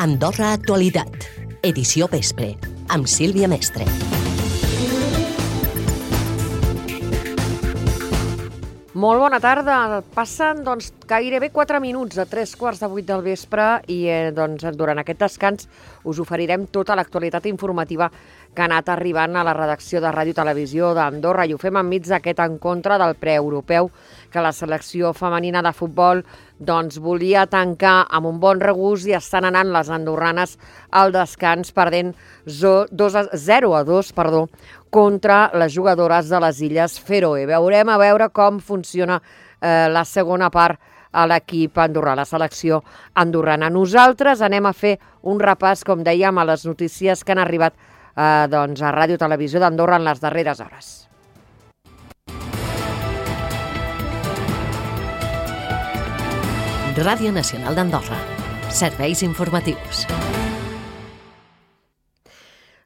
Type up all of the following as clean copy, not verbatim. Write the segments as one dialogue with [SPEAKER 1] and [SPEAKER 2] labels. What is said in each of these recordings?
[SPEAKER 1] Andorra Actualitat, edició vespre, amb Sílvia Mestre.
[SPEAKER 2] Molt bona tarda. Passen gairebé 4 minuts a 7:45 del vespre i durant aquest descans us oferirem tota l'actualitat informativa que ha anat arribant a la redacció de Ràdio Televisió d'Andorra i ho fem enmig d'aquest encontre del preeuropeu que la selecció femenina de futbol volia tancar amb un bon regust i estan anant les andorranes al descans perdent 0-2 contra les jugadores de les Illes Fèroe. Veurem a veure com funciona la segona part a l'equip andorrà, la selecció andorrana. Nosaltres anem a fer un repàs, com dèiem, a les notícies que han arribat a Ràdio Televisió d'Andorra en les darreres hores.
[SPEAKER 1] Ràdio Nacional d'Andorra. Serveis informatius.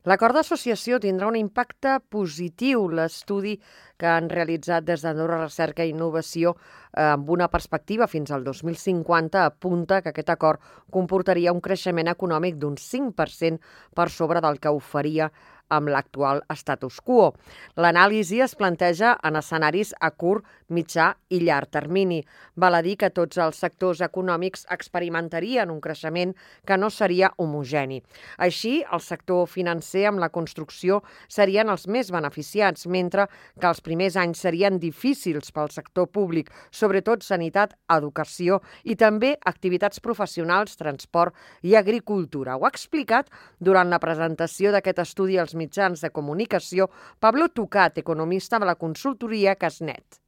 [SPEAKER 2] L'acord d'associació tindrà un impacte positiu. L'estudi que han realitzat des d'Andorra Recerca i Innovació amb una perspectiva fins al 2050 apunta que aquest acord comportaria un creixement econòmic d'un 5% per sobre del que oferia amb l'actual status quo. L'anàlisi es planteja en escenaris a curt, mitjà i llarg termini. Val a dir que tots els sectors econòmics experimentarien un creixement que no seria homogeni. Així, el sector financer amb la construcció serien els més beneficiats, mentre que els primers anys serien difícils pel sector públic, sobretot sanitat, educació i també activitats professionals, transport i agricultura. Ho ha explicat durant la presentació d'aquest estudi als mitjans de comunicació Pablo Tucat, economista de la consultoria Casnet.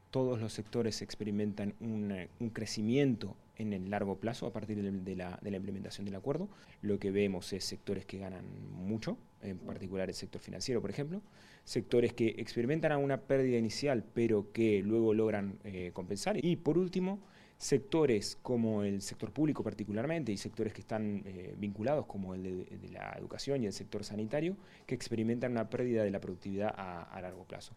[SPEAKER 3] Todos los sectores experimentan un crecimiento en el largo plazo a partir de la implementación del acuerdo. Lo que vemos es sectores que ganan mucho, en particular el sector financiero, por ejemplo, sectores que experimentan una pérdida inicial pero que luego logran compensar. Y por último, sectores como el sector público particularmente y sectores que están vinculados como el de la educación y el sector sanitario que experimentan una pérdida de la productividad a largo plazo.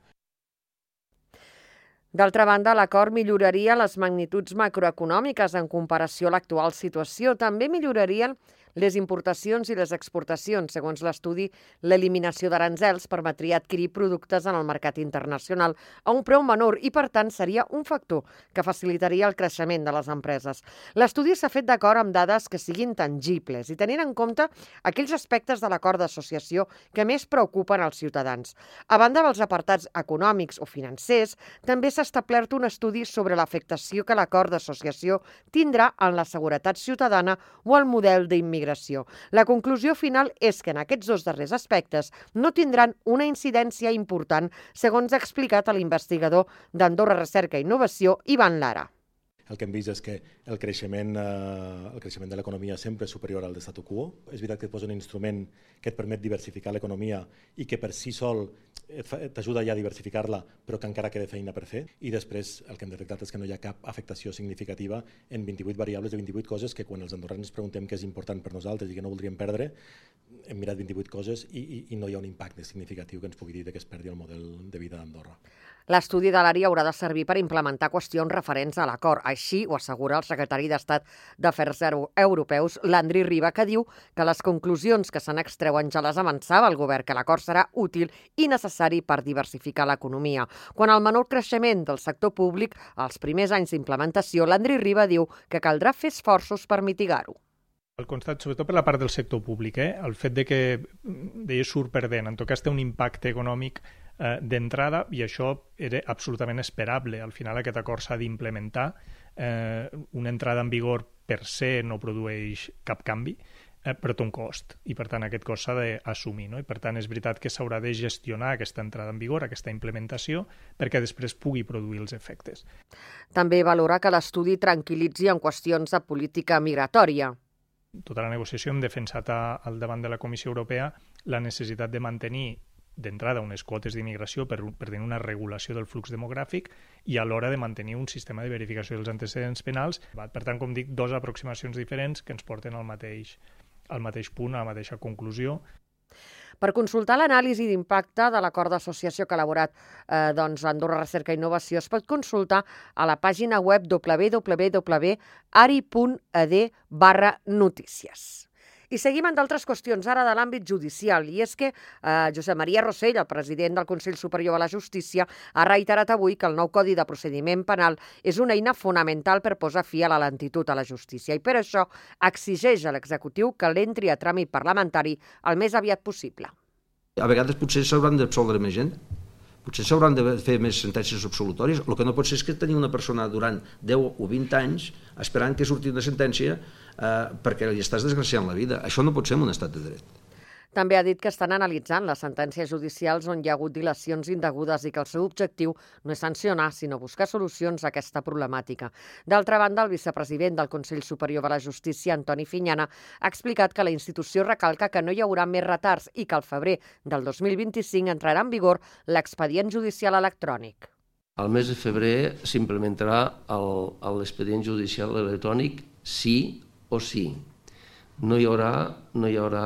[SPEAKER 2] D'altra banda, l'acord milloraria les magnituds macroeconòmiques en comparació a l'actual situació. També millorarien les importacions i les exportacions. Segons l'estudi, l'eliminació d'aranzels permetria adquirir productes en el mercat internacional a un preu menor i, per tant, seria un factor que facilitaria el creixement de les empreses. L'estudi s'ha fet d'acord amb dades que siguin tangibles i tenint en compte aquells aspectes de l'acord d'associació que més preocupen als ciutadans. A banda dels apartats econòmics o financers, també s'ha establert un estudi sobre l'afectació que l'acord d'associació tindrà en la seguretat ciutadana o el model d'immigració. La conclusió final és que en aquests dos darrers aspectes no tindran una incidència important, segons ha explicat l'investigador d'Andorra Recerca i Innovació, Ivan Lara.
[SPEAKER 4] El que hem vist és que el creixement de l'economia sempre és superior al de statu quo. És veritat que et posa un instrument que et permet diversificar l'economia i que per si sol t'ajuda ja a diversificar-la, però que encara queda feina per fer. I després el que hem detectat és que no hi ha cap afectació significativa en 28 variables de 28 coses que quan els andorrans ens preguntem què és important per nosaltres i que no voldríem perdre, hem mirat 28 coses i no hi ha un impacte significatiu que ens pugui dir que es perdi el model de vida d'Andorra.
[SPEAKER 2] L'estudi de l'àrea haurà de servir per implementar qüestions referents a l'acord. Així ho assegura el secretari d'Estat d'Afers Europeus, Landry Riba, que diu que les conclusions que se n'extreuen ja les avançava el govern, que l'acord serà útil i necessari per diversificar l'economia. Quan al menor creixement del sector públic, als primers anys d'implementació, Landry Riba diu que caldrà fer esforços per mitigar-ho.
[SPEAKER 5] El constat, sobretot per la part del sector públic, el fet de que surt perdent, en tot cas té un impacte econòmic d'entrada i això era absolutament esperable. Al final aquest acord s'ha d'implementar. Una entrada en vigor per se no produeix cap canvi, però té un cost i per tant aquest cost s'ha d'assumir, no? I per tant és veritat que s'haurà de gestionar aquesta entrada en vigor, aquesta implementació, perquè després pugui produir els efectes.
[SPEAKER 2] També valora que l'estudi tranquil·litzi en qüestions de política migratòria.
[SPEAKER 5] Tota la negociació hem defensat al davant de la Comissió Europea la necessitat de mantenir d'entrada unes quotes d'immigració per tenir una regulació del flux demogràfic i alhora de mantenir un sistema de verificació dels antecedents penals. Per tant, com dic, dues aproximacions diferents que ens porten al mateix punt, a la mateixa conclusió.
[SPEAKER 2] Per consultar l'anàlisi d'impacte de l'acord d'associació que ha elaborat Andorra Recerca i Innovació es pot consultar a la pàgina web www.ari.ed/notícies. I seguim amb d'altres qüestions, ara de l'àmbit judicial, i és que Josep Maria Rossell, el president del Consell Superior de la Justícia, ha reiterat avui que el nou Codi de Procediment Penal és una eina fonamental per posar fi a la lentitud a la justícia i per això exigeix a l'executiu que l'entri a tràmit parlamentari el més aviat possible.
[SPEAKER 6] A vegades potser s'hauran d'absoldre més gent, potser s'hauran de fer més sentències absolutòries. El que no pot ser és que tenir una persona durant 10 o 20 anys esperant que surti una sentència perquè li estàs desgraciant la vida. Això no pot ser en un estat de dret.
[SPEAKER 2] També ha dit que estan analitzant les sentències judicials on hi ha hagut dilacions indegudes i que el seu objectiu no és sancionar, sinó buscar solucions a aquesta problemàtica. D'altra banda, el vicepresident del Consell Superior de la Justícia, Antoni Fiñana, ha explicat que la institució recalca que no hi haurà més retards i que al febrer del 2025 entrarà en vigor l'expedient judicial electrònic.
[SPEAKER 7] Al mes de febrer s'implementarà l'expedient judicial electrònic sí o sí. No hi haurà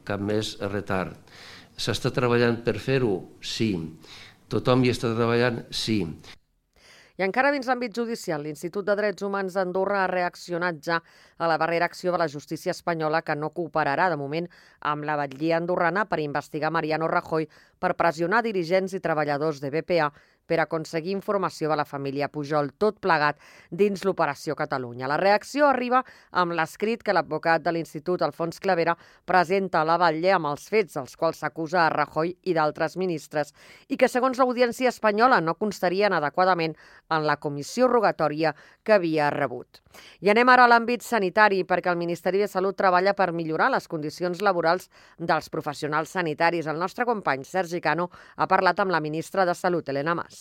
[SPEAKER 7] cap més retard. S'està treballant per fer-ho? Sí. Tothom hi està treballant? Sí.
[SPEAKER 2] I encara dins l'àmbit judicial, l'Institut de Drets Humans d'Andorra ha reaccionat ja a la darrera acció de la justícia espanyola que no cooperarà de moment amb la batllia andorrana per investigar Mariano Rajoy per pressionar dirigents i treballadors de BPA per aconseguir informació de la família Pujol, tot plegat dins l'Operació Catalunya. La reacció arriba amb l'escrit que l'advocat de l'Institut, Alfons Clavera, presenta a la Batlle amb els fets dels quals s'acusa a Rajoy i d'altres ministres i que, segons l'Audiència espanyola, no constarien adequadament en la comissió rogatòria que havia rebut. I anem ara a l'àmbit sanitari, perquè el Ministeri de Salut treballa per millorar les condicions laborals dels professionals sanitaris. El nostre company Sergi Cano ha parlat amb la ministra de Salut, Elena Mas.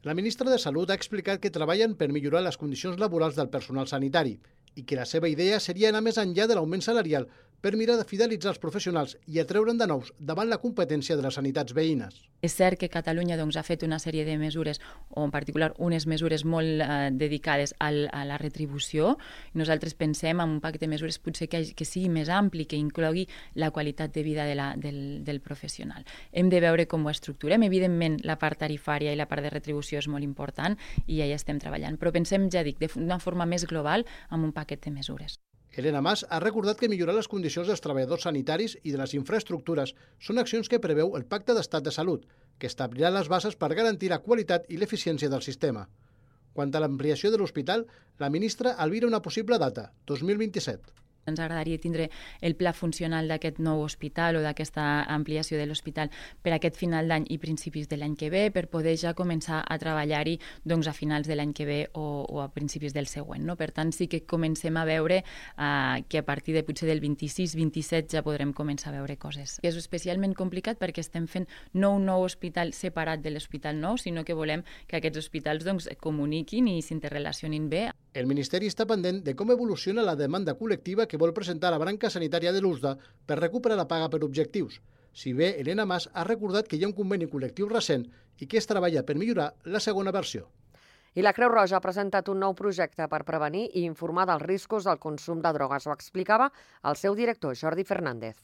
[SPEAKER 8] La ministra de Salut ha explicat que treballen per millorar les condicions laborals del personal sanitari i que la seva idea seria anar més enllà de l'augment salarial per mirar de fidelitzar els professionals i atreure'n de nous davant la competència de les sanitats veïnes.
[SPEAKER 9] És cert que Catalunya ha fet una sèrie de mesures, o en particular unes mesures molt dedicades a la retribució. Nosaltres pensem en un pacte de mesures potser que sigui més ampli, que inclogui la qualitat de vida del professional. Hem de veure com ho estructurem. Evidentment, la part tarifària i la part de retribució és molt important i ja hi estem treballant. Però pensem, ja dic, d'una forma més global amb un paquet de mesures.
[SPEAKER 8] Elena Mas ha recordat que millorar les condicions dels treballadors sanitaris i de les infraestructures són accions que preveu el Pacte d'Estat de Salut, que establirà les bases per garantir la qualitat i l'eficiència del sistema. Quant a l'ampliació de l'hospital, la ministra albira una possible data, 2027.
[SPEAKER 9] Ens agradaria tindre el pla funcional d'aquest nou hospital o d'aquesta ampliació de l'hospital per aquest final d'any i principis de l'any que ve, per poder ja començar a treballar-hi a finals de l'any que ve o a principis del següent. Per tant, sí que comencem a veure que a partir de potser del 26-27 ja podrem començar a veure coses. És especialment complicat perquè estem fent no un nou hospital separat de l'hospital nou, sinó que volem que aquests hospitals comuniquin i s'interrelacionin bé.
[SPEAKER 8] El Ministeri està pendent de com evoluciona la demanda col·lectiva que vol presentar la branca sanitària de l'USDA per recuperar la paga per objectius. Si bé Elena Mas ha recordat que hi ha un conveni col·lectiu recent i que es treballa per millorar la segona versió.
[SPEAKER 2] I la Creu Roja ha presentat un nou projecte per prevenir i informar dels riscos del consum de drogues. Ho explicava el seu director, Jordi Fernández.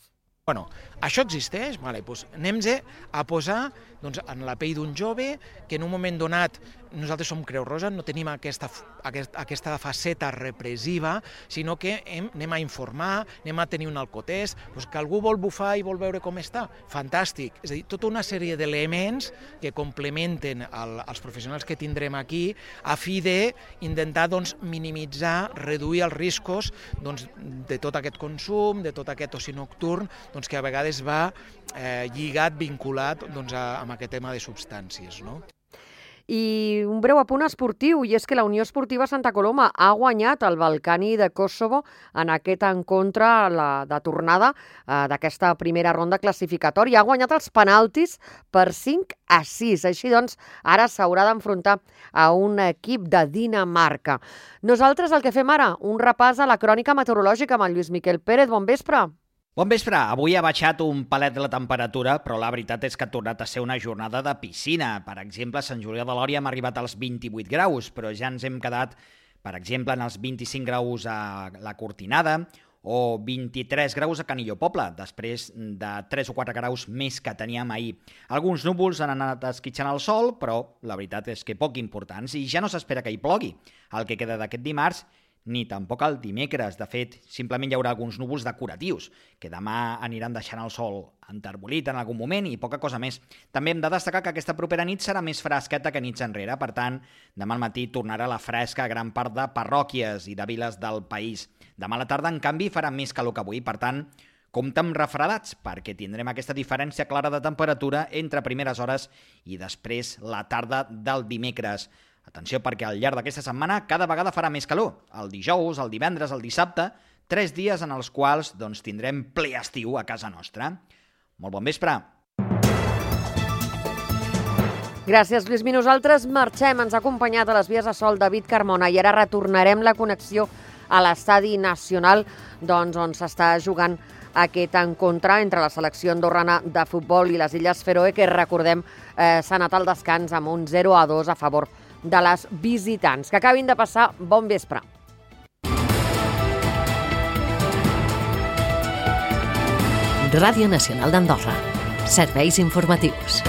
[SPEAKER 10] Bueno, això existeix, doncs anem-nos a posar en la pell d'un jove que en un moment donat, nosaltres som Creu Roja, no tenim aquesta faceta repressiva, sinó que anem a informar, anem a tenir un alcotest, que algú vol bufar i vol veure com està, fantàstic. És a dir, tota una sèrie d'elements que complementen els professionals que tindrem aquí a fi d'intentar minimitzar, reduir els riscos de tot aquest consum, de tot aquest oci nocturn, que a vegades va lligat, vinculat amb aquest tema de substàncies.
[SPEAKER 2] I un breu apunt esportiu, i és que la Unió Esportiva Santa Coloma ha guanyat el Balcani de Kosovo en aquest encontre de tornada d'aquesta primera ronda classificatòria. Ha guanyat els penaltis per 5-6. Així doncs, ara s'haurà d'enfrontar a un equip de Dinamarca. Nosaltres el que fem ara, un repàs a la crònica meteorològica amb el Lluís Miquel Pérez. Bon vespre.
[SPEAKER 11] Bon vespre. Avui ha baixat un palet de la temperatura, però la veritat és que ha tornat a ser una jornada de piscina. Per exemple, a Sant Julià de Lòria hem arribat als 28 graus, però ja ens hem quedat, per exemple, en els 25 graus a la Cortinada o 23 graus a Canillo Poble, després de 3 o 4 graus més que teníem ahir. Alguns núvols han anat esquitxant el sol, però la veritat és que poc importants, i ja no s'espera que hi plogui el que queda d'aquest dimarts, ni tampoc el dimecres. De fet, simplement hi haurà alguns núvols decoratius, que demà aniran deixant el sol enterbolit en algun moment i poca cosa més. També hem de destacar que aquesta propera nit serà més fresqueta que nits enrere, per tant, demà al matí tornarà la fresca a gran part de parròquies i de viles del país. Demà a la tarda, en canvi, farà més calor que avui, per tant, compte amb refredats, perquè tindrem aquesta diferència clara de temperatura entre primeres hores i després la tarda del dimecres. Atenció, perquè al llarg d'aquesta setmana cada vegada farà més calor. El dijous, el divendres, el dissabte, 3 dies en els quals tindrem ple estiu a casa nostra. Molt bon vespre.
[SPEAKER 2] Gràcies, Lluís. Nosaltres marxem. Ens ha acompanyat a les vies de sol David Carmona i ara retornarem la connexió a l'Estadi Nacional, on s'està jugant aquest encontre entre la selecció andorrana de futbol i les Illes Fèroe, que recordem s'ha anat al descans amb un 0-2 a favor de les visitants. Que acabin de passar bon vespre.
[SPEAKER 1] Ràdio Nacional d'Andorra. Serveis informatius.